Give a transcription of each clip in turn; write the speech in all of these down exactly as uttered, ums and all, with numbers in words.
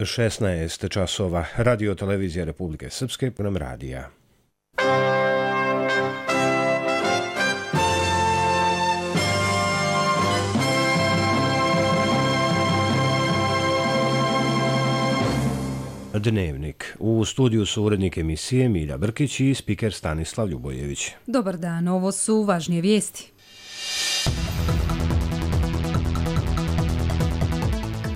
šesnaest časova. Radio televizija Republike Srpske, program radija. Dnevnik. U studiju su urednik emisije Milja Brkić i spiker Stanislav Ljubojević. Dobar dan, ovo su važnije vijesti.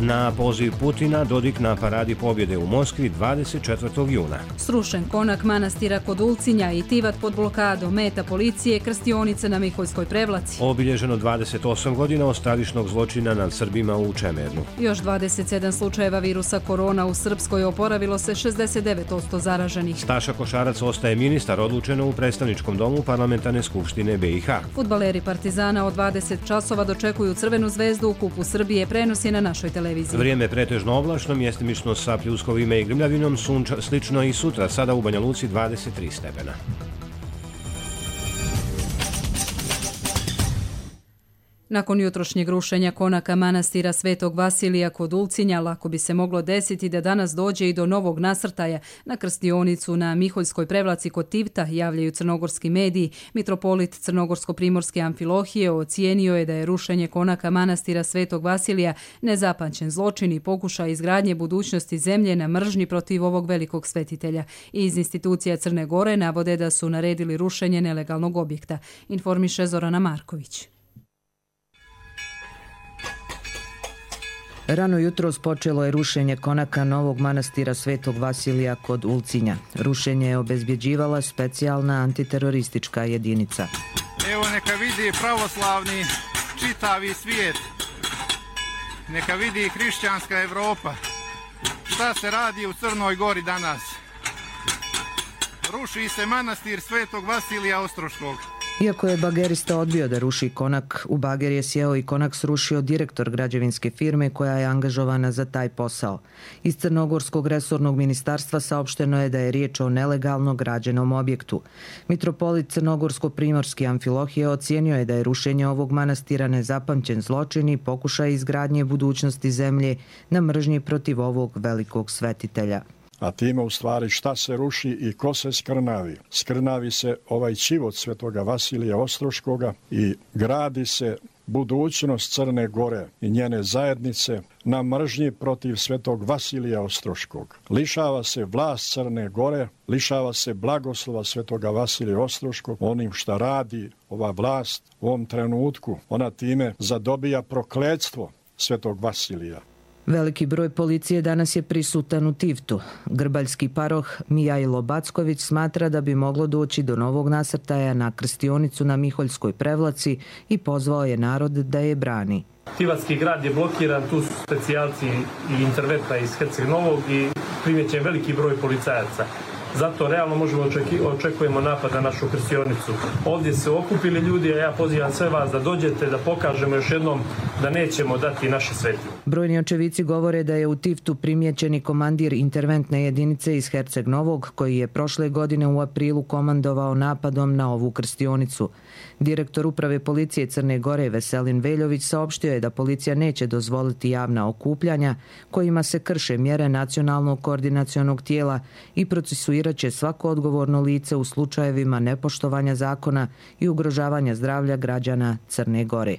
Na poziv Putina Dodik na paradi pobjede u Moskvi dvadeset četvrtog juna. Srušen konak manastira kod Ulcinja i Tivat pod blokadom, meta policije, krstionica na Miholjskoj Prevlaci. Obilježeno dvadeset osam godina od stravičnog zločina nad Srbima u Čemernu. Još dvadeset sedam slučajeva virusa korona u Srpskoj, oporavilo se šezdeset devet posto zaraženih. Staša Košarac ostaje ministar, odlučeno u predstavničkom domu Parlamentarne skupštine B i H. Fudbaleri Partizana od dvadeset časova dočekuju Crvenu zvezdu u Kupu Srbije, prenos je na našoj televiziji. Vrijeme pretežno oblačno, mjestimično sa pljuskovima i grmljavinom, sunča, slično i sutra, sada u Banja Luci dvadeset tri stepena. Nakon jutrošnjeg rušenja konaka manastira Svetog Vasilija kod Ulcinja, lako bi se moglo desiti da danas dođe i do novog nasrtaja na krstionicu na Miholjskoj Prevlaci kod Tivta, javljaju crnogorski mediji. Mitropolit Crnogorsko-primorske Amfilohije ocijenio je da je rušenje konaka manastira Svetog Vasilija nezapamćen zločin i pokušaj izgradnje budućnosti zemlje na mržnji protiv ovog velikog svetitelja. Iz institucija Crne Gore navode da su naredili rušenje nelegalnog objekta, informiše Zorana Marković. Rano jutros počelo je rušenje konaka novog manastira Svetog Vasilija kod Ulcinja. Rušenje je obezbjeđivala specijalna antiteroristička jedinica. Evo neka vidi pravoslavni čitavi svijet, neka vidi hrišćanska Evropa. Šta se radi u Crnoj Gori danas? Ruši se manastir Svetog Vasilija Ostroškog. Iako je bagerista odbio da ruši konak, u bager je sjeo i konak srušio direktor građevinske firme koja je angažovana za taj posao. Iz Crnogorskog resornog ministarstva saopšteno je da je riječ o nelegalno građenom objektu. Mitropolit Crnogorsko-primorske Amfilohije ocijenio je da je rušenje ovog manastira nezapamćen zločin i pokušaj izgradnje budućnosti zemlje na mržnji protiv ovog velikog svetitelja. A time u stvari šta se ruši i ko se skrnavi. Skrnavi se ovaj ćivot Svetoga Vasilija Ostroškoga i gradi se budućnost Crne Gore i njene zajednice na mržnji protiv Svetog Vasilija Ostroškog. Lišava se vlast Crne Gore, lišava se blagoslova Svetoga Vasilija Ostroškog onim šta radi ova vlast u ovom trenutku. Ona time zadobija prokletstvo Svetog Vasilija. Veliki broj policije danas je prisutan u Tivtu. Grbaljski paroh Mijajlo Backović smatra da bi moglo doći do novog nasrtaja na krstionicu na Miholjskoj Prevlaci i pozvao je narod da je brani. Tivatski grad je blokiran, tu su specijalci i interventa iz Herceg Novog i primjećen veliki broj policajaca. Zato realno možemo očeki, očekujemo napad na našu krstionicu. Ovdje se okupili ljudi, a ja pozivam sve vas da dođete, da pokažemo još jednom da nećemo dati naše svetinje. Brojni očevici govore da je u Tivtu primjećeni komandir interventne jedinice iz Herceg Novog, koji je prošle godine u aprilu komandovao napadom na ovu krstionicu. Direktor uprave policije Crne Gore Veselin Veljović saopštio je da policija neće dozvoliti javna okupljanja kojima se krše mjere nacionalnog koordinacionog tijela i procesuirati će svako odgovorno lice u slučajevima nepoštovanja zakona i ugrožavanja zdravlja građana Crne Gore.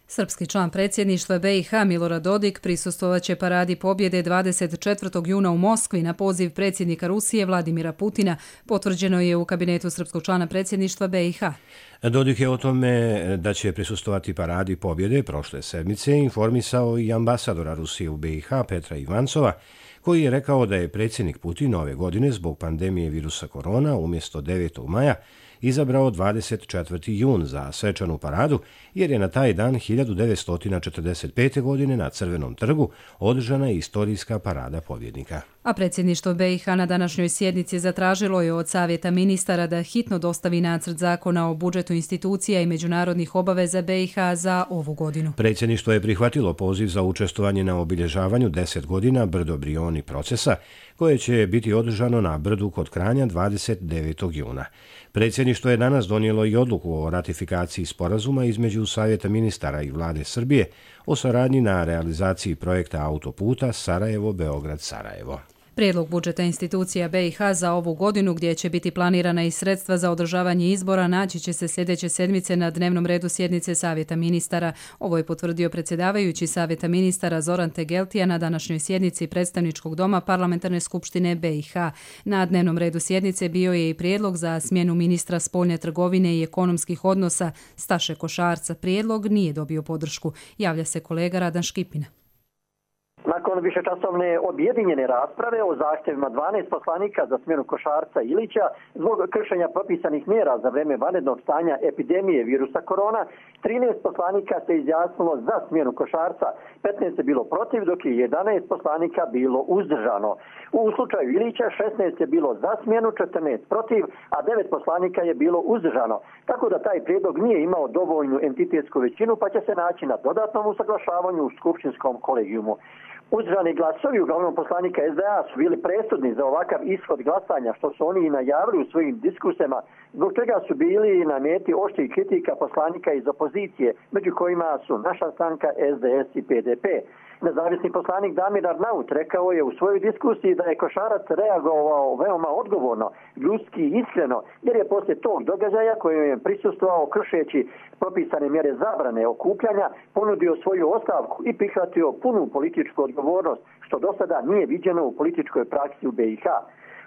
Srpski član predsjedništva B i H Milorad Dodik prisustvovaće paradi pobjede dvadeset četvrtog juna u Moskvi na poziv predsjednika Rusije Vladimira Putina, potvrđeno je u kabinetu srpskog člana predsjedništva B i H. Dodik je o tome da će prisustvovati paradi pobjede prošle sedmice informisao i ambasadora Rusije u B i H Petra Ivancova, koji je rekao da je predsjednik Putin ove godine zbog pandemije virusa korona umjesto devetog maja izabrao dvadeset četvrti jun za svečanu paradu, jer je na taj dan hiljadu devetsto četrdeset pete. godine na Crvenom trgu održana istorijska parada pobjednika. A predsjedništvo B i H na današnjoj sjednici zatražilo je od Savjeta ministara da hitno dostavi nacrt zakona o budžetu institucija i međunarodnih obaveza B i H za ovu godinu. Predsjedništvo je prihvatilo poziv za učestvovanje na obilježavanju deset godina Brdo Brioni procesa, koje će biti održano na Brdu kod Kranja dvadeset devetog juna. Predsjedništvo je danas donijelo i odluku o ratifikaciji sporazuma između Savjeta ministara i Vlade Srbije o saradnji na realizaciji projekta autoputa Sarajevo-Beograd-Sarajevo. Prijedlog budžeta institucija B i H za ovu godinu, gdje će biti planirana i sredstva za održavanje izbora, naći će se sljedeće sedmice na dnevnom redu sjednice Savjeta ministara. Ovo je potvrdio predsjedavajući Savjeta ministara Zoran Tegeltija na današnjoj sjednici Predstavničkog doma Parlamentarne skupštine B i H. Na dnevnom redu sjednice bio je i prijedlog za smjenu ministra spoljne trgovine i ekonomskih odnosa Staše Košarca. Prijedlog nije dobio podršku. Javlja se kolega Radan Škipina. Nakon višečasovne objedinjene rasprave o zahtjevima dvanaest poslanika za smjenu Košarca i Ilića zbog kršenja propisanih mjera za vrijeme vanrednog stanja epidemije virusa korona, trinaest poslanika se izjasnilo za smjenu Košarca, petnaest je bilo protiv, dok je jedanaest poslanika bilo uzdržano. U slučaju Ilića šesnaest je bilo za smjenu, četrnaest protiv, a devet poslanika je bilo uzdržano. Tako da taj prijedlog nije imao dovoljnu entitetsku većinu, pa će se naći na dodatnom usaglašavanju u skupštinskom kolegijumu. Uzdržani glasovi uglavnom poslanika S D A su bili presudni za ovakav ishod glasanja, što su oni i najavili u svojim diskusijama, zbog čega su bili na meti oštrih kritika poslanika iz opozicije, među kojima su naša stranka S D S i P D P. Nezavisni poslanik Damir Arnaut rekao je u svojoj diskusiji da je Košarac reagovao veoma odgovorno, ljudski i iskreno, jer je poslije tog događaja kojem je prisustvovao kršeći propisane mjere zabrane okupljanja, ponudio svoju ostavku i prihvatio punu političku odgovornost, što do sada nije viđeno u političkoj praksi u B i H.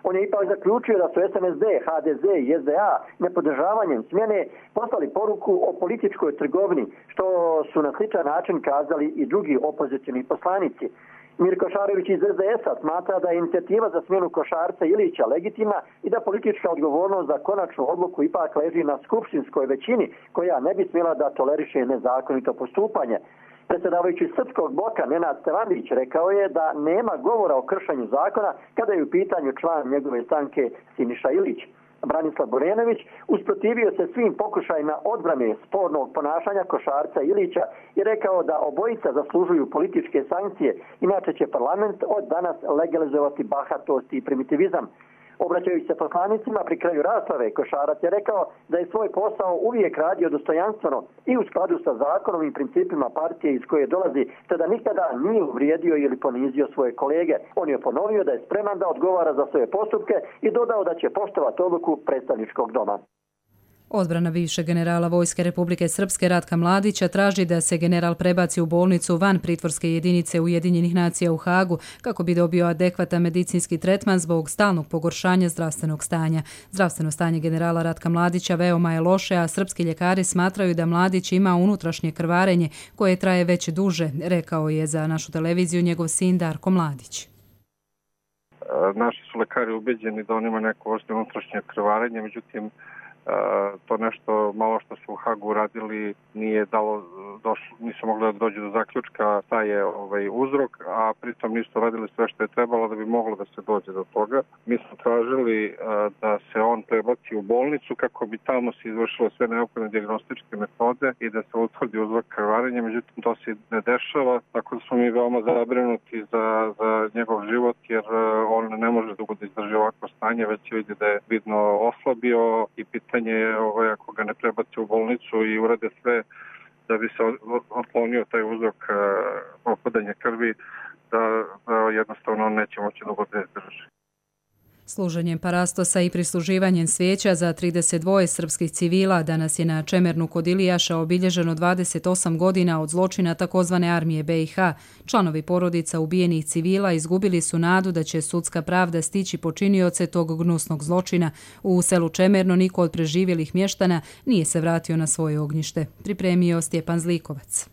On je ipak zaključio da su S N S D, H D Z i S D A nepodržavanjem smjene poslali poruku o političkoj trgovini, što su na sličan način kazali i drugi opozicioni poslanici. Mirko Šarović iz S D S-a smatra da je inicijativa za smjenu Košarca i Ilića legitimna i da politička odgovornost za konačnu odluku ipak leži na skupštinskoj većini, koja ne bi smjela da toleriše nezakonito postupanje. Predsjedavajući Srpskog bloka Nenad Stevanović rekao je da nema govora o kršenju zakona kada je u pitanju član njegove stranke Siniša Ilić. Branislav Borenović usprotivio se svim pokušajima odbrane spornog ponašanja Košarca i Ilića i rekao da obojica zaslužuju političke sankcije, inače će parlament od danas legalizovati bahatost i primitivizam. Obraćajući se poslanicima pri kraju rasprave, Košarac je rekao da je svoj posao uvijek radio dostojanstveno i u skladu sa zakonom i principima partije iz koje dolazi, te da nikada nije uvrijedio ili ponizio svoje kolege. On je ponovio da je spreman da odgovara za svoje postupke i dodao da će poštovati odluku predstavničkog doma. Odbrana bivšeg generala Vojske Republike Srpske Ratka Mladića traži da se general prebaci u bolnicu van pritvorske jedinice Ujedinjenih nacija u Hagu kako bi dobio adekvatan medicinski tretman zbog stalnog pogoršanja zdravstvenog stanja. Zdravstveno stanje generala Ratka Mladića veoma je loše, a srpski ljekari smatraju da Mladić ima unutrašnje krvarenje koje traje već duže, rekao je za našu televiziju njegov sin Darko Mladić. Naši su lekari ubeđeni da on ima neko vrstu unutrašnje krvarenje, međutim to nešto malo što su u Hagu uradili nije dalo, došlo, nisu mogli da dođu do zaključka šta je ovaj uzrok, a pritom nisu radili sve što je trebalo da bi moglo da se dođe do toga. Mi smo tražili da se on prebaci u bolnicu kako bi tamo se izvršilo sve neophodne dijagnostičke metode i da se utvrdi uzrok krvarenja, međutim to se ne dešava, tako da smo mi veoma zabrinuti za, za njegov život, jer on ne može dugo da izdrži ovakvo stanje, već vidi da je vidno oslabio i pitanje je ovaj, ako ga ne prebaci u bolnicu i urade sve da bi se otklonio taj uzrok uh, opadanja krvi, da, da jednostavno on neće moći dugo da izdrži. Služenjem parastosa i prisluživanjem svijeća za trideset dva srpskih civila danas je na Čemernu kod Ilijaša obilježeno dvadeset osam godina od zločina takozvane armije B i H. Članovi porodica ubijenih civila izgubili su nadu da će sudska pravda stići počinioce tog gnusnog zločina. U selu Čemerno niko od preživjelih mještana nije se vratio na svoje ognjište. Pripremio Stjepan Zlikovac.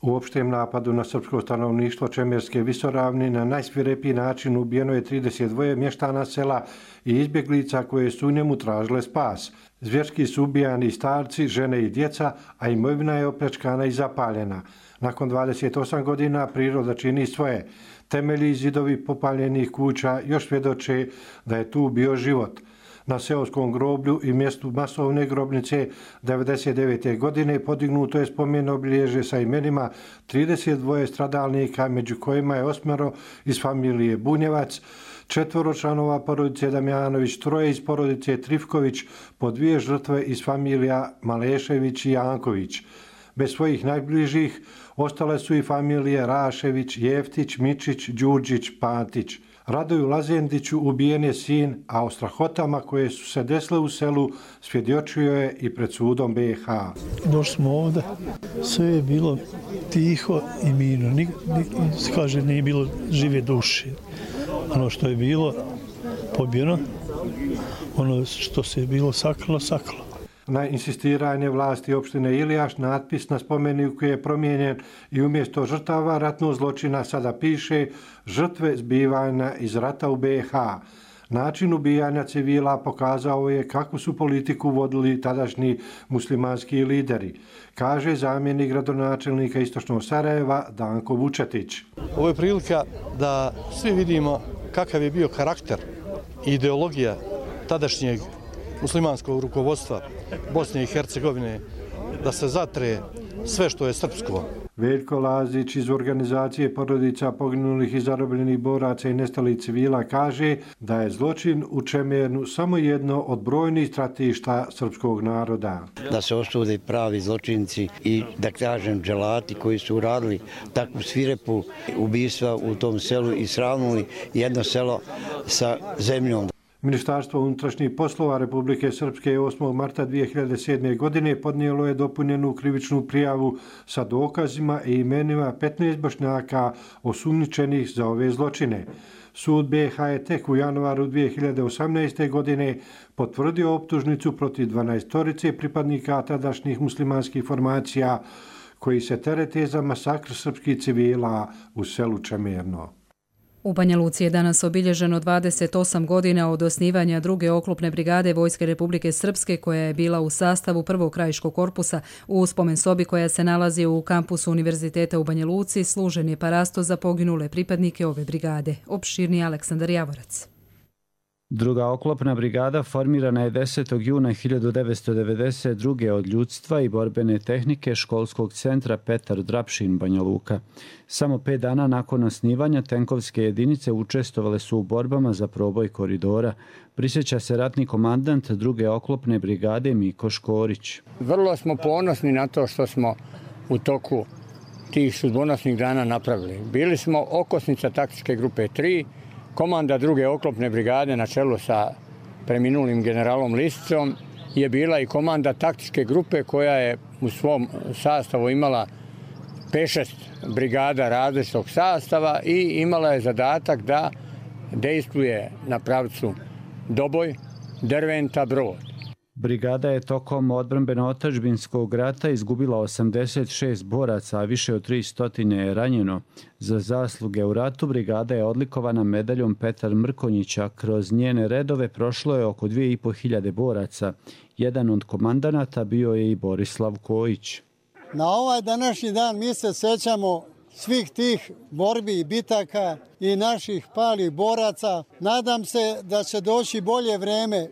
U opštem napadu na srpsko stanovništvo Čemerske visoravni na najsvirepiji način ubijeno je trideset dva mještana sela i izbjeglica koje su u njemu tražile spas. Zvjerski su ubijani starci, žene i djeca, a imovina je opljačkana i zapaljena. Nakon dvadeset osam godina priroda čini svoje. Temelji i zidovi popaljenih kuća još svjedoče da je tu bio život. Na seoskom groblju i mjestu masovne grobnice devedeset devete. godine podignuto je spomen obilježje sa imenima trideset dva stradalnika, među kojima je osmero iz familije Bunjevac, četvoro članova porodice Damjanović, troje iz porodice Trifković, po dvije žrtve iz familija Malešević i Janković. Bez svojih najbližih ostale su i familije Rašević, Jeftić, Mičić, Đurđić, Pantić. Radoju Lazendiću ubijen je sin, a o strahotama koje su se desile u selu svjedočio je i pred sudom B iH. Došli smo ovdje, sve je bilo tiho i mirno. Nik, nik, kaže, nije bilo žive duše. Ono što je bilo pobjeno, ono što se je bilo sakrilo, sakrilo. Na insistiranje vlasti opštine Ilijaš natpis na spomeniku je promijenjen i umjesto žrtava ratnog zločina sada piše žrtve zbivanja iz rata u B iH. Način ubijanja civila pokazao je kakvu su politiku vodili tadašnji muslimanski lideri, kaže zamjenik gradonačelnika Istočnog Sarajeva Danko Vučetić. Ovo je prilika da svi vidimo kakav je bio karakter i ideologija tadašnjeg muslimanskog rukovodstva Bosne i Hercegovine, da se zatre sve što je srpsko. Veljko Lazić iz organizacije porodica poginulih i zarobljenih boraca i nestalih civila kaže da je zločin u Čemernu samo jedno od brojnih stratišta srpskog naroda. Da se osude pravi zločinci i da kažem dželati koji su uradili takvu svirepu ubistva u tom selu i sravnuli jedno selo sa zemljom. Ministarstvo unutrašnjih poslova Republike Srpske osmog marta dvije hiljade sedme. godine podnijelo je dopunjenu krivičnu prijavu sa dokazima i imenima petnaest Bošnjaka osumnjičenih za ove zločine. Sud B iH je tek u januaru dvije hiljade osamnaeste. godine potvrdio optužnicu protiv dvanaestorice pripadnika tadašnjih muslimanskih formacija koji se terete za masakr srpskih civila u selu Čemerno. U Banja Luci je danas obilježeno dvadeset osam godina od osnivanja druge oklopne brigade Vojske Republike Srpske koja je bila u sastavu prvog krajiškog korpusa. U spomen sobi koja se nalazi u kampusu Univerziteta u Banja Luci služen je parasto za poginule pripadnike ove brigade. Opširni Aleksandar Javorac. Druga oklopna brigada formirana je desetog juna hiljadu devetsto devedeset druge. od ljudstva i borbene tehnike školskog centra Petar Drapšin, Banja Luka. Samo pet dana nakon osnivanja tenkovske jedinice učestvovale su u borbama za proboj koridora. Prisjeća se ratni komandant druge oklopne brigade Miko Škorić. Vrlo smo ponosni na to što smo u toku tih sudbonosnih dana napravili. Bili smo okosnica taktičke grupe tri, komanda druge oklopne brigade na čelu sa preminulim generalom Lisicom je bila i komanda taktičke grupe koja je u svom sastavu imala pet šest brigada različitog sastava i imala je zadatak da dejstvuje na pravcu Doboj, Derventa, Brod. Brigada je tokom odbrambeno-otadžbinskog rata izgubila osamdeset šest boraca, a više od tristo je ranjeno. Za zasluge u ratu brigada je odlikovana medaljom Petar Mrkonjića. Kroz njene redove prošlo je oko dvije i po hiljade boraca. Jedan od komandanata bio je i Borislav Kojić. Na ovaj današnji dan mi se sećamo svih tih borbi i bitaka i naših palih boraca. Nadam se da će doći bolje vreme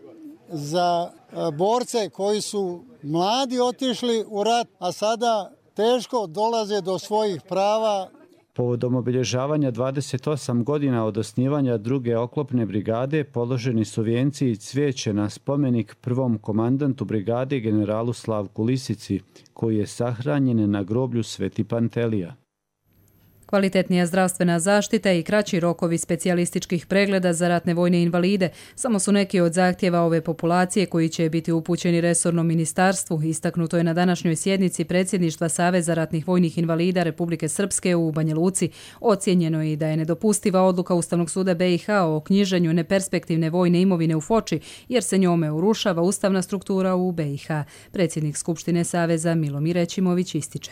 za borce koji su mladi otišli u rat, a sada teško dolaze do svojih prava. Povodom obilježavanja dvadeset osam godina od osnivanja druge oklopne brigade položeni su vijenci i cvijeće na spomenik prvom komandantu brigade generalu Slavku Lisici, koji je sahranjen na groblju Sveti Pantelija. Kvalitetnija zdravstvena zaštita i kraći rokovi specijalističkih pregleda za ratne vojne invalide samo su neki od zahtjeva ove populacije koji će biti upućeni resornom ministarstvu. Istaknuto je na današnjoj sjednici predsjedništva Saveza ratnih vojnih invalida Republike Srpske u Banja Luci. Ocijenjeno je i da je nedopustiva odluka Ustavnog suda B iH o knjiženju neperspektivne vojne imovine u Foči, jer se njome urušava ustavna struktura u B iH. Predsjednik Skupštine Saveza Milomir Ećimović ističe.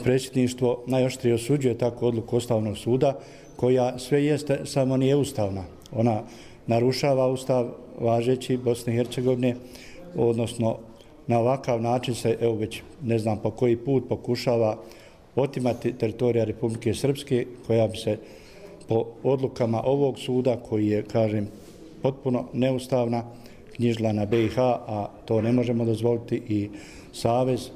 Predsjedništvo najoštrije osuđuje takvu odluku Ustavnog suda koja sve jeste, samo nije ustavna. Ona narušava ustav važeći Bosne i Hercegovine, odnosno na ovakav način se, evo već ne znam po koji put, pokušava otimati teritorija Republike Srpske koja bi se po odlukama ovog suda koji je, kažem, potpuno neustavna, knjižila na B i H, a to ne možemo dozvoliti i Savez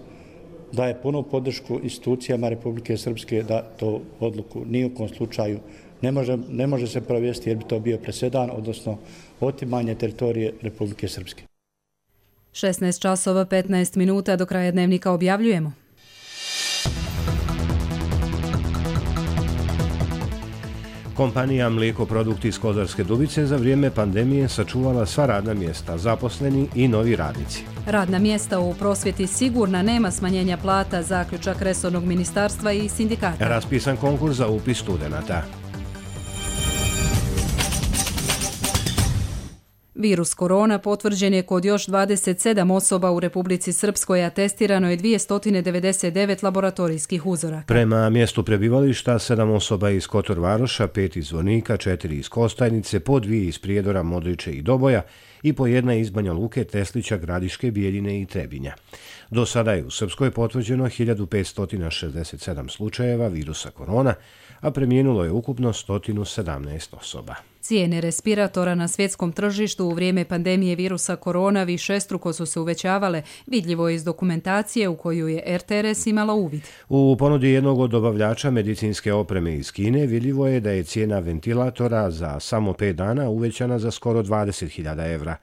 daje punu podršku institucijama Republike Srpske da to odluku ni u kom slučaju ne može, ne može se provesti jer bi to bio presedan, odnosno otimanje teritorije Republike Srpske. šesnaest časova petnaest minuta do kraja dnevnika objavljujemo. Kompanija Mlijekoprodukti iz Kozarske Dubice za vrijeme pandemije sačuvala sva radna mjesta, zaposleni i novi radnici. Radna mjesta u prosvjeti sigurna, nema smanjenja plata, zaključak resornog ministarstva i sindikata. Raspisan konkurs za upis studenata. Virus korona potvrđen je kod još dvadeset sedam osoba u Republici Srpskoj, a testirano je dvjesto devedeset devet laboratorijskih uzoraka. Prema mjestu prebivališta, sedam osoba iz Kotor Varoša, pet iz Zvornika, četiri iz Kostajnice, po dvije iz Prijedora, Modriče i Doboja i po jedna iz Banja Luke, Teslića, Gradiške, Bijeljine i Trebinja. Do sada je u Srpskoj potvrđeno hiljadu petsto šezdeset sedam slučajeva virusa korona, a preminulo je ukupno sto sedamnaest osoba. Cijene respiratora na svjetskom tržištu u vrijeme pandemije virusa korona višestruko su se uvećavale, vidljivo je iz dokumentacije u koju je R T R S imala uvid. U ponudi jednog od dobavljača medicinske opreme iz Kine vidljivo je da je cijena ventilatora za samo pet dana uvećana za skoro dvadeset hiljada evra.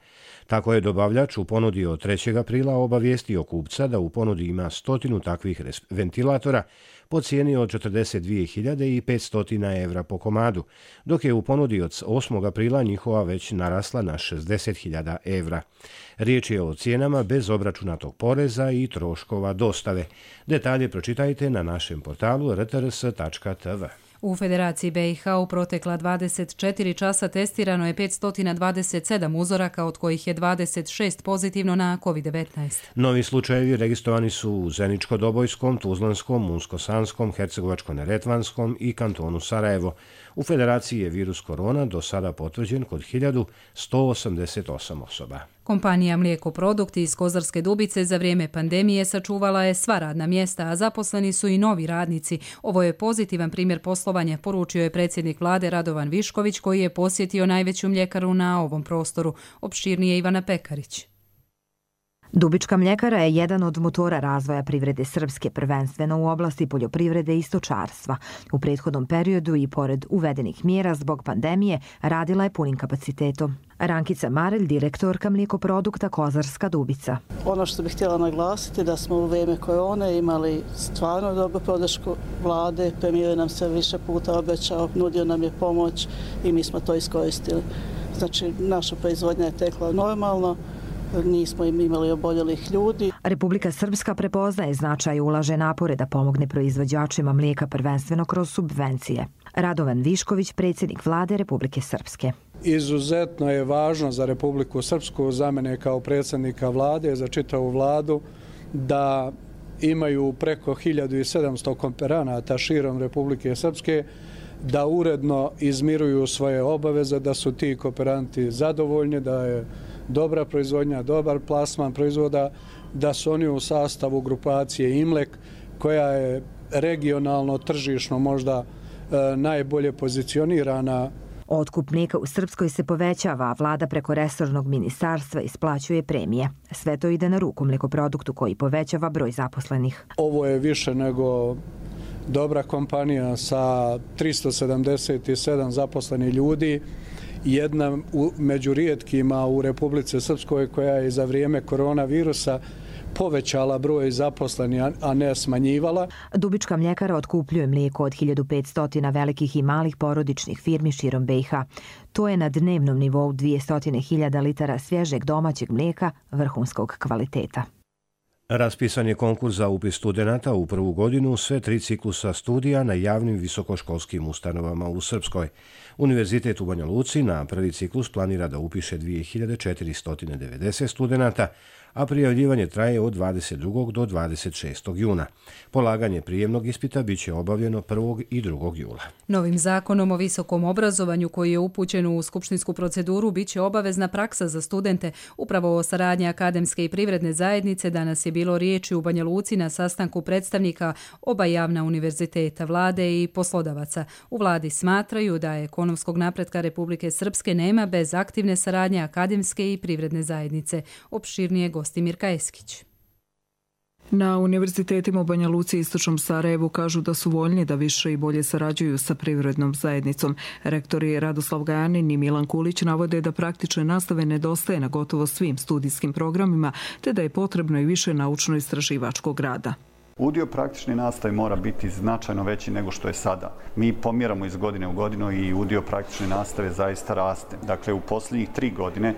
Tako je dobavljač u ponudi od trećeg aprila obavijestio kupca da u ponudi ima stotinu takvih ventilatora po cijeni od četrdeset dvije hiljade petsto evra po komadu, dok je u ponudi od osmog aprila njihova već narasla na šezdeset hiljada evra. Riječ je o cijenama bez obračunatog poreza i troškova dostave. Detalje pročitajte na našem portalu r t r s tačka t v. U Federaciji B i H u protekla dvadeset četiri časa testirano je petsto dvadeset sedam uzoraka, od kojih je dvadeset šest pozitivno na kovid devetnaest. Novi slučajevi registrovani su u Zeničko-Dobojskom, Tuzlanskom, Munsko-Sanskom, Hercegovačko-Neretvanskom i kantonu Sarajevo. U Federaciji je virus korona do sada potvrđen kod hiljadu sto osamdeset osam osoba. Kompanija Mlijekoprodukti iz Kozarske Dubice za vrijeme pandemije sačuvala je sva radna mjesta, a zaposleni su i novi radnici. Ovo je pozitivan primjer poslovanja, poručio je predsjednik vlade Radovan Višković, koji je posjetio najveću mljekaru na ovom prostoru. Opširnije Ivana Pekarić. Dubička mljekara je jedan od motora razvoja privrede Srpske, prvenstveno u oblasti poljoprivrede i stočarstva. U prethodnom periodu i pored uvedenih mjera zbog pandemije radila je punim kapacitetom. Rankica Marelj, direktorka Mlijekoprodukta Kozarska Dubica. Ono što bih htjela naglasiti da smo u vrijeme korone imali stvarno dobru podršku vlade, premijer nam se više puta obećao, nudio nam je pomoć i mi smo to iskoristili. Znači, naša proizvodnja je tekla normalno, nismo im imali oboljelih ljudi. Republika Srpska prepoznaje značaj i ulaže napore da pomogne proizvođačima mlijeka prvenstveno kroz subvencije. Radovan Višković, predsjednik vlade Republike Srpske. Izuzetno je važno za Republiku Srpsku, za mene kao predsjednika vlade, za čitavu vladu, da imaju preko hiljadu sedamsto kooperanata širom Republike Srpske, da uredno izmiruju svoje obaveze, da su ti kooperanti zadovoljni, da je dobra proizvodnja, dobar plasman proizvoda, da su oni u sastavu grupacije Imlek, koja je regionalno, tržišno možda e, najbolje pozicionirana. Otkup mlijeka u Srpskoj se povećava, a vlada preko resornog ministarstva isplaćuje premije. Sve to ide na ruku Mlijekoproduktu koji povećava broj zaposlenih. Ovo je više nego dobra kompanija sa tristo sedamdeset sedam zaposlenih ljudi, jedna među rijetkima u Republici Srpskoj koja je za vrijeme koronavirusa povećala broj zaposlenih, a ne smanjivala. Dubička mljekara otkupljuje mlijeko od hiljadu petsto velikih i malih porodičnih firmi širom B i H. To je na dnevnom nivou dvjesto hiljada litara svježeg domaćeg mlijeka vrhunskog kvaliteta. Raspisan je konkurs za upis studenata u prvu godinu sve tri ciklusa studija na javnim visokoškolskim ustanovama u Srpskoj. Univerzitet u Banja Luci na prvi ciklus planira da upiše dvije hiljade četiristo devedeset studenata, a prijavljivanje traje od dvadeset drugog do dvadeset šestog juna. Polaganje prijemnog ispita bit će obavljeno prvog i drugog jula. Novim zakonom o visokom obrazovanju koji je upućen u skupštinsku proceduru bit će obavezna praksa za studente. Upravo o saradnji akademske i privredne zajednice danas je bilo riječi u Banja Luci na sastanku predstavnika oba javna univerziteta, vlade i poslodavaca. U vladi smatraju da ekonomskog napretka Republike Srpske nema bez aktivne saradnje akademske i privredne zajednice. Opširnije gosti Mirka Eskić. Na univerzitetima u Banja Luci i Istočnom Sarajevu kažu da su voljni da više i bolje sarađuju sa privrednom zajednicom. Rektori Radoslav Gajanin i Milan Kulić navode da praktične nastave nedostaje na gotovo svim studijskim programima, te da je potrebno i više naučno-istraživačkog rada. Udio praktične nastave mora biti značajno veći nego što je sada. Mi pomjeramo iz godine u godinu i udio praktične nastave zaista raste. Dakle, u posljednjih tri godine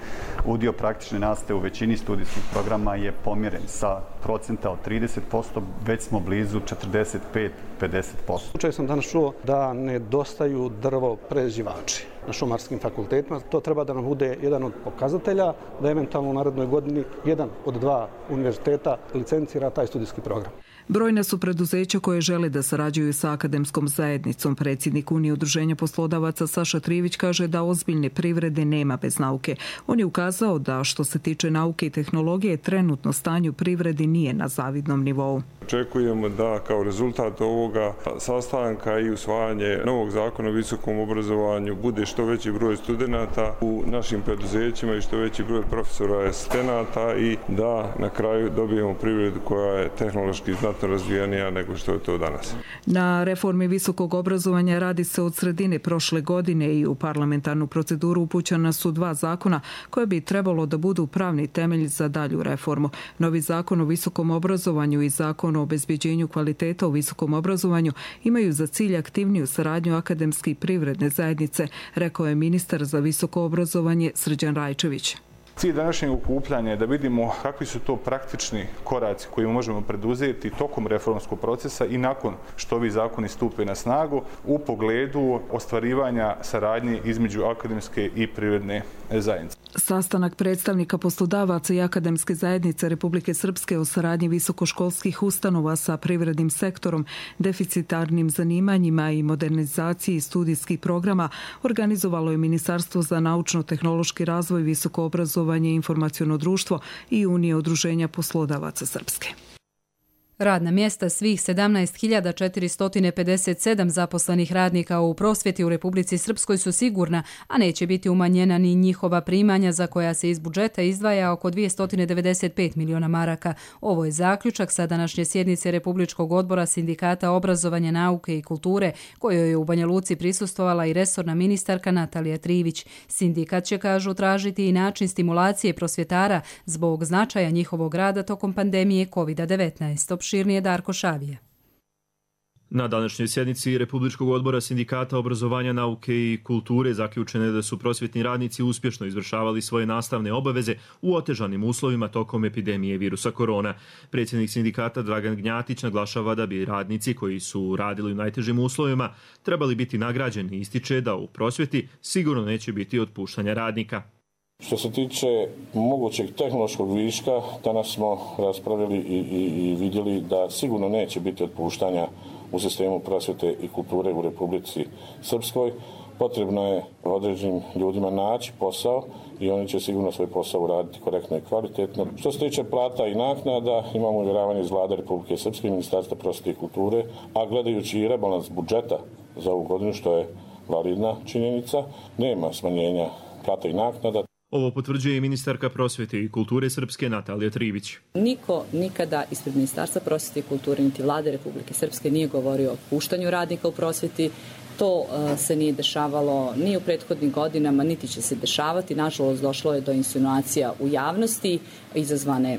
udio praktične nastave u većini studijskih programa je pomjeren sa procenta od trideset posto, već smo blizu četrdeset pet do pedeset posto. Slučaj sam danas čuo da nedostaju drvo prerađivači na šumarskim fakultetima. To treba da nam bude jedan od pokazatelja da eventualno u narednoj godini jedan od dva univerziteta licencira taj studijski program. Brojna su preduzeća koje žele da sarađuju sa akademskom zajednicom. Predsjednik Unije udruženja poslodavaca Saša Trivić kaže da ozbiljne privrede nema bez nauke. On je ukazao da što se tiče nauke i tehnologije, trenutno stanje u privredi nije na zavidnom nivou. Očekujemo da kao rezultat ovoga sastanka i usvajanje novog zakona o visokom obrazovanju bude što veći broj studenata u našim preduzećima i što veći broj profesora i asistenata i da na kraju dobijemo privredu koja je tehnološki znatno razvijenija nego što je to danas. Na reformi visokog obrazovanja radi se od sredine prošle godine i u parlamentarnu proceduru upućena su dva zakona koje bi trebalo da budu pravni temelj za dalju reformu. Novi zakon o visokom obrazovanju i zakon o obezbeđenju kvaliteta u visokom obrazovanju imaju za cilj aktivniju saradnju akademske i privredne zajednice, rekao je ministar za visoko obrazovanje Srđan Rajčević. Cilj današnjeg okupljanja je da vidimo kakvi su to praktični koraci koji možemo preduzeti tokom reformskog procesa i nakon što ovi zakoni stupe na snagu u pogledu ostvarivanja saradnje između akademske i privredne zajednice. Sastanak predstavnika poslodavaca i akademske zajednice Republike Srpske o saradnji visokoškolskih ustanova sa privrednim sektorom, deficitarnim zanimanjima i modernizaciji studijskih programa organizovalo je Ministarstvo za naučno-tehnološki razvoj, visoko obrazovanje i informaciono društvo i Unije udruženja poslodavaca Srpske. Radna mjesta svih sedamnaest hiljada četiristo pedeset sedam zaposlenih radnika u prosvjeti u Republici Srpskoj su sigurna, a neće biti umanjena ni njihova primanja za koja se iz budžeta izdvaja oko dvjesto devedeset pet miliona maraka. Ovo je zaključak sa današnje sjednice Republičkog odbora Sindikata obrazovanja, nauke i kulture, kojoj je u Banja Luci prisustvovala i resorna ministarka Natalija Trivić. Sindikat će, kažu, tražiti i način stimulacije prosvjetara zbog značaja njihovog rada tokom pandemije kovid devetnaest. Širnije Darko Šavije. Na današnjoj sjednici Republičkog odbora Sindikata obrazovanja, nauke i kulture zaključeno je da su prosvjetni radnici uspješno izvršavali svoje nastavne obaveze u otežanim uslovima tokom epidemije virusa korona. Predsjednik sindikata Dragan Gnjatić naglašava da bi radnici koji su radili u najtežim uslovima trebali biti nagrađeni i ističe da u prosvjeti sigurno neće biti otpuštanja radnika. Što se tiče mogućeg tehnološkog viška, danas smo raspravili i, i, i vidjeli da sigurno neće biti otpuštanja u sistemu prosvjete i kulture u Republici Srpskoj. Potrebno je određenim ljudima naći posao i oni će sigurno svoj posao uraditi korektno i kvalitetno. Što se tiče plata i naknada, imamo uvjeravanje iz Vlade Republike Srpske, Ministarstva prosvjete i kulture, a gledajući i rebalans budžeta za ovu godinu, što je validna činjenica, nema smanjenja plata i naknada. Ovo potvrđuje i ministarka prosvjete i kulture Srpske Natalija Trivić. Niko nikada ispred Ministarstva prosvjete i kulture niti Vlade Republike Srpske nije govorio o otpuštanju radnika u prosvjeti. To uh, se nije dešavalo ni u prethodnim godinama, niti će se dešavati. Nažalost, došlo je do insinuacija u javnosti, izazvane,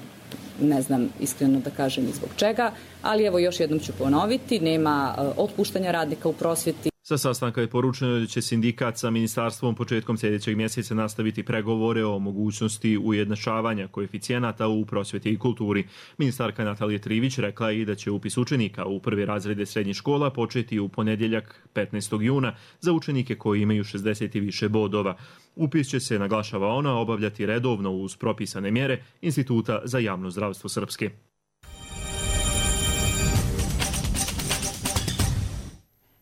ne znam iskreno da kažem i zbog čega, ali evo još jednom ću ponoviti, nema uh, otpuštanja radnika u prosvjeti. Sa sastanka je poručeno da će sindikat sa ministarstvom početkom sljedećeg mjeseca nastaviti pregovore o mogućnosti ujednačavanja koeficijenata u prosvjeti i kulturi. Ministarka Natalija Trivić rekla je i da će upis učenika u prve razrede srednjih škola početi u ponedjeljak petnaestog juna za učenike koji imaju šezdeset i više bodova. Upis će se, naglašava ona, obavljati redovno uz propisane mjere Instituta za javno zdravstvo Srpske.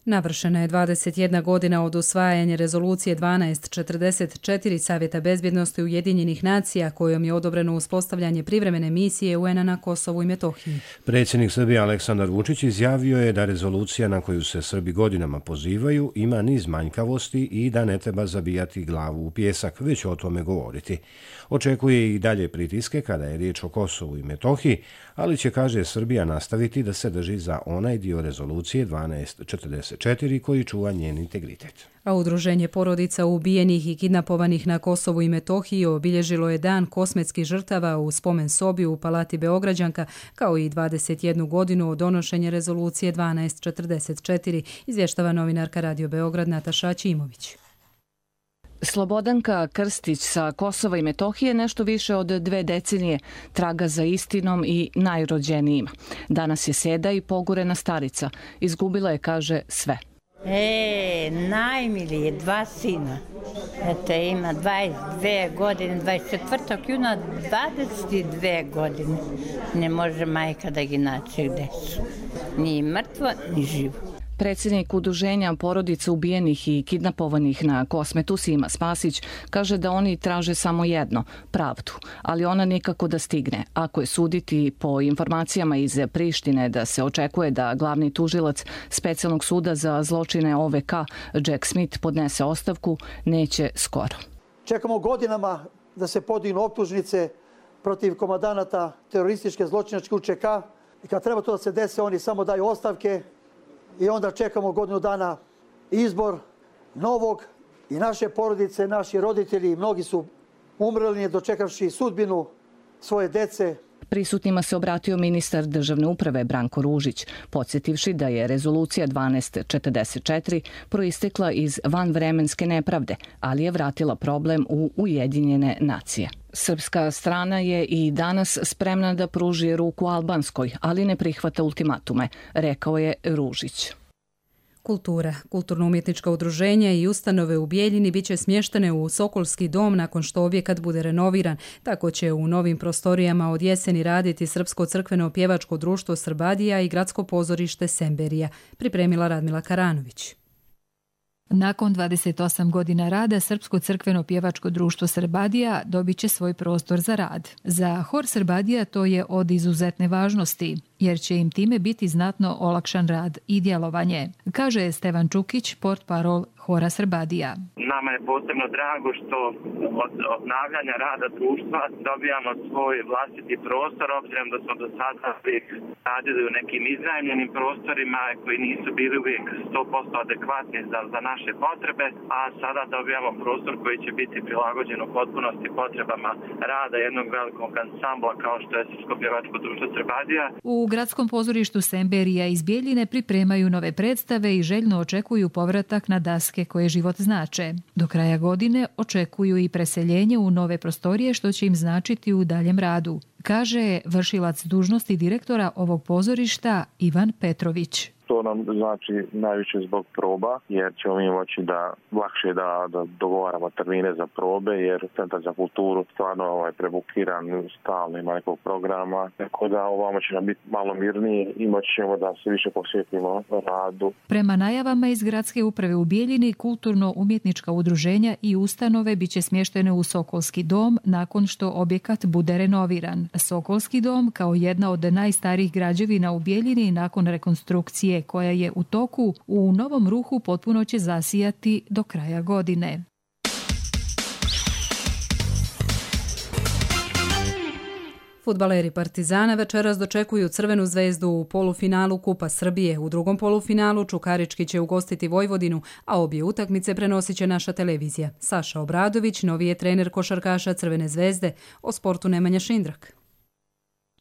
Navršena je dvadeset jedna godina od usvajanja rezolucije dvanaest četrdeset četiri Savjeta bezbjednosti Ujedinjenih nacija kojom je odobreno uspostavljanje privremene misije U N-a na Kosovu i Metohiji. Predsjednik Srbije Aleksandar Vučić izjavio je da rezolucija na koju se Srbi godinama pozivaju ima niz manjkavosti i da ne treba zabijati glavu u pijesak, već o tome govoriti. Očekuje i dalje pritiske kada je riječ o Kosovu i Metohiji, ali će, kaže, Srbija nastaviti da se drži za onaj dio rezolucije dvanaest četrdeset četiri koji čuva njen integritet. A udruženje porodica ubijenih i kidnapovanih na Kosovu i Metohiji obilježilo je dan kosmetskih žrtava u spomen sobi u Palati Beograđanka, kao i dvadeset jednu godinu od donošenja rezolucije dvanaest četrdeset četiri, izvještava novinarka Radio Beograd Nataša Ćimović. Slobodanka Krstić sa Kosova i Metohije nešto više od dve decenije traga za istinom i najrođenijima. Danas je seda i pogurena starica. Izgubila je, kaže, sve. E, najmilije, dva sina. Eto, ima dvadeset dve godine, dvadeset četvrtog juna, dvadeset dve godine. Ne može majka da gi naći gde su. Ni mrtvo, ni živo. Predsjednik udruženja porodica ubijenih i kidnapovanih na Kosmetu Sima Spasić kaže da oni traže samo jedno, pravdu, ali ona nikako da stigne. Ako je suditi po informacijama iz Prištine da se očekuje da glavni tužilac Specijalnog suda za zločine O V K Jack Smith podnese ostavku, neće skoro. Čekamo godinama da se podignu optužnice protiv komandanata terorističke zločinačke U Č K i kad treba to da se desi, oni samo daju ostavke. I onda čekamo godinu dana izbor novog i naše porodice, naši roditelji, mnogi su umrli dočekavši sudbinu svoje dece. Prisutnima se obratio ministar državne uprave Branko Ružić, podsjetivši da je rezolucija dvanaest četrdeset četiri proistekla iz vanvremenske nepravde, ali je vratila problem u Ujedinjene nacije. Srpska strana je i danas spremna da pruži ruku albanskoj, ali ne prihvata ultimatume, rekao je Ružić. Kultura, kulturno-umjetnička udruženja i ustanove u Bijeljini bit će smještene u Sokolski dom nakon što objekat bude renoviran. Tako će u novim prostorijama od jeseni raditi Srpsko crkveno pjevačko društvo Srbadija i gradsko pozorište Semberija, pripremila Radmila Karanović. Nakon dvadeset osam godina rada, Srpsko crkveno pjevačko društvo Srbadija dobit će svoj prostor za rad. Za hor Srbadija to je od izuzetne važnosti, jer će im time biti znatno olakšan rad i djelovanje, kaže Stevan Čukić, portparol hora Srbadija. Nama je posebno drago što od obnavljanja rada društva dobijamo svoj vlastiti prostor, obzirom da smo do sada radili u nekim iznajmljenim prostorima koji nisu bili uvijek sto posto adekvatni za, za naše potrebe, a sada dobijamo prostor koji će biti prilagođen u potpunosti potrebama rada jednog velikog ansambla kao što je Srpsko pjevačko društvo Srbadija. U gradskom pozorištu Semberija iz Bijeljine pripremaju nove predstave i željno očekuju povratak na daske koje život znače. Do kraja godine očekuju i preseljenje u nove prostorije što će im značiti u daljem radu, kaže vršilac dužnosti direktora ovog pozorišta Ivan Petrović. To nam znači najviše zbog proba, jer ćemo mi moći da lakše da, da dogovaramo termine za probe, jer Centar za kulturu stvarno ovaj, prebukiran, stalno ima nekog programa, tako da ovamo će nam biti malo mirnije i moći ćemo da se više posvetimo radu. Prema najavama iz gradske uprave u Bijeljini, kulturno-umjetnička udruženja i ustanove biće smještene u Sokolski dom nakon što objekat bude renoviran. Sokolski dom, kao jedna od najstarijih građevina u Bijeljini nakon rekonstrukcije koja je u toku, u novom ruhu potpuno će zasijati do kraja godine. Fudbaleri Partizana večeras dočekuju Crvenu zvezdu u polufinalu Kupa Srbije. U drugom polufinalu Čukarički će ugostiti Vojvodinu, a obje utakmice prenosit će naša televizija. Saša Obradović, novi je trener košarkaša Crvene zvezde, o sportu Nemanja Šindrak.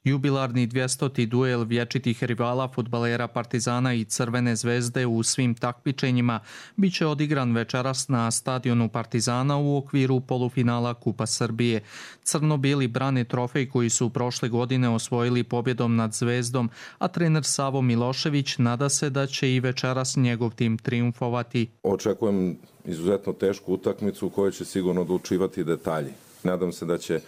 Jubilarni dvjestoti duel vječitih rivala fudbalera Partizana i Crvene zvezde u svim takmičenjima bit će odigran večeras na stadionu Partizana u okviru polufinala Kupa Srbije. Crno-bijeli brane trofej koji su prošle godine osvojili pobjedom nad Zvezdom, a trener Savo Milošević nada se da će i večeras njegov tim triumfovati. Očekujem izuzetno tešku utakmicu u kojoj će sigurno odlučivati detalji. Nadam se da će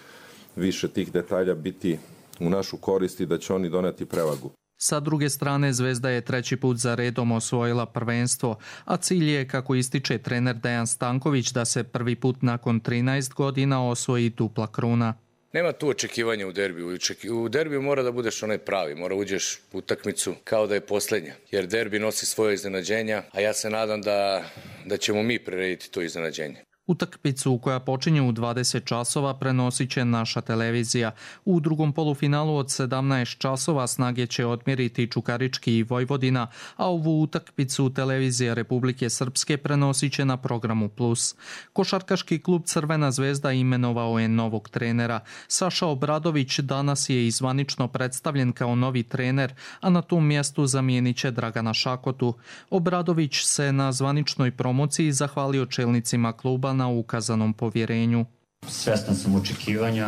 više tih detalja biti u našu korist i da će oni doneti prevagu. Sa druge strane, Zvezda je treći put za redom osvojila prvenstvo, a cilj je, kako ističe trener Dejan Stanković, da se prvi put nakon trinaest godina osvoji dupla kruna. Nema tu očekivanja u derbiju. U derbiju mora da budeš onaj pravi, mora uđeš u utakmicu kao da je posljednja, jer derbi nosi svoje iznenađenja, a ja se nadam da, da ćemo mi prirediti to iznenađenje. Utakmicu koja počinje u dvadeset časova prenosit će naša televizija. U drugom polufinalu od sedamnaest časova snage će odmjeriti Čukarički i Vojvodina, a ovu utakmicu televizija Republike Srpske prenosit će na programu Plus. Košarkaški klub Crvena zvezda imenovao je novog trenera. Saša Obradović danas je izvanično predstavljen kao novi trener, a na tom mjestu zamijenit će Dragana Šakotu. Obradović se na zvaničnoj promociji zahvalio čelnicima kluba na ukazanom povjerenju. Svestan sam očekivanja,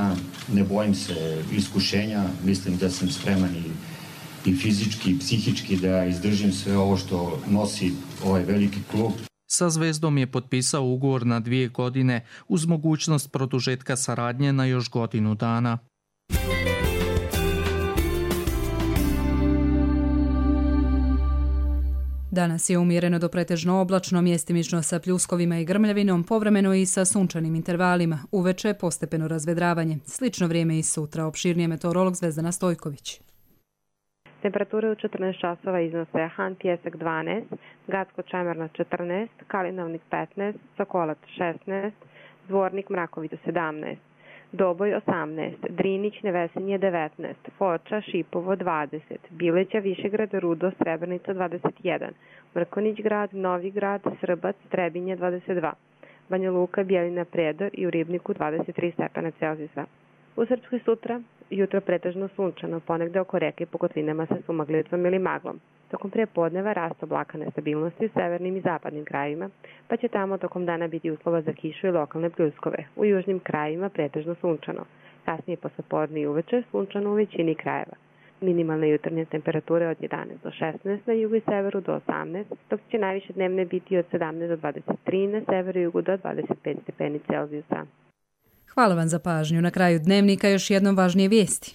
ne bojim se iskušenja, mislim da sam spreman i, i fizički i psihički da izdržim sve ovo što nosi ovaj veliki klub. Sa Zvezdom je potpisao ugovor na dvije godine uz mogućnost produžetka saradnje na još godinu dana. Danas je umjereno do pretežno oblačno, mjestimično sa pljuskovima i grmljavinom, povremeno i sa sunčanim intervalima. Uveče postepeno razvedravanje. Slično vrijeme i sutra. Opširnije meteorolog Zvezdana Stojković. Temperature u četrnaest časova iznose Han Pijesak dvanaest, Gacko-Čemerna četrnaest, Kalinavnik petnaest, Sokolac šesnaest, Dvornik Mrakovica sedamnaest, Doboj osamnaest, Drinić Nevesinje devetnaest, Foča Šipovo dvadeset, Bileća Višegrad Rudo Srebrnica dvadeset jedan, Mrkonić grad, Novi grad, Srbac, Trebinje dvadeset dva, Banja Luka, Bjelina Predor i u Ribniku dvadeset tri stepena Celzijusa. U Srpskoj sutra jutro pretežno sunčano, ponegde oko reke i po kotlinama sa sumaglijetvom ili maglom. Tokom prepodneva rast oblaka nestabilnosti u severnim i zapadnim krajevima, pa će tamo tokom dana biti uslova za kišu i lokalne pljuskove. U južnim krajevima pretežno sunčano. Kasnije poslepodne i uveče sunčano u većini krajeva. Minimalne jutarnje temperature od jedanaest do šesnaest na jugu i severu do osamnaest, dok će najviše dnevne biti od sedamnaest do dvadeset tri, na severu i jugu do dvadeset pet stepeni Celzijusa. Hvala vam za pažnju. Na kraju dnevnika još jednom važnije vijesti.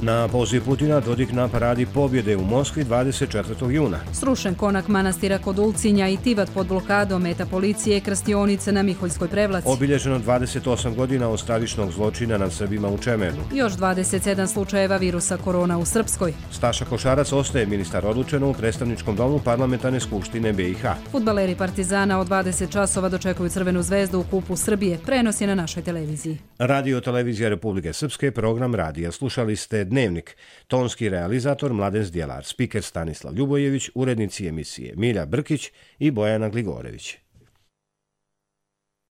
Na poziv Putina Dodik na paradi pobjede u Moskvi dvadeset četvrtog juna. Srušen konak manastira kod Ulcinja i Tivat pod blokadom, meta policije, krstionice na Miholjskoj prevlaci. Obilježeno dvadeset osam godina od stravičnog zločina nad Srbima u Čemernu. Još dvadeset sedam slučajeva virusa korona u Srpskoj. Staša Košarac ostaje ministar odlučeno u predstavničkom domu Parlamentarne skupštine B i H. Fudbaleri Partizana od dvadeset časova dočekuju Crvenu zvezdu u Kupu Srbije. Prenos je na našoj televiziji. Radio televizija Republike Srpske, program radija. Slušali ste Dnevnik. Tonski realizator Mladen Zdjelar, spiker Stanislav Ljubojević, urednici emisije Milja Brkić i Bojana Gligorević.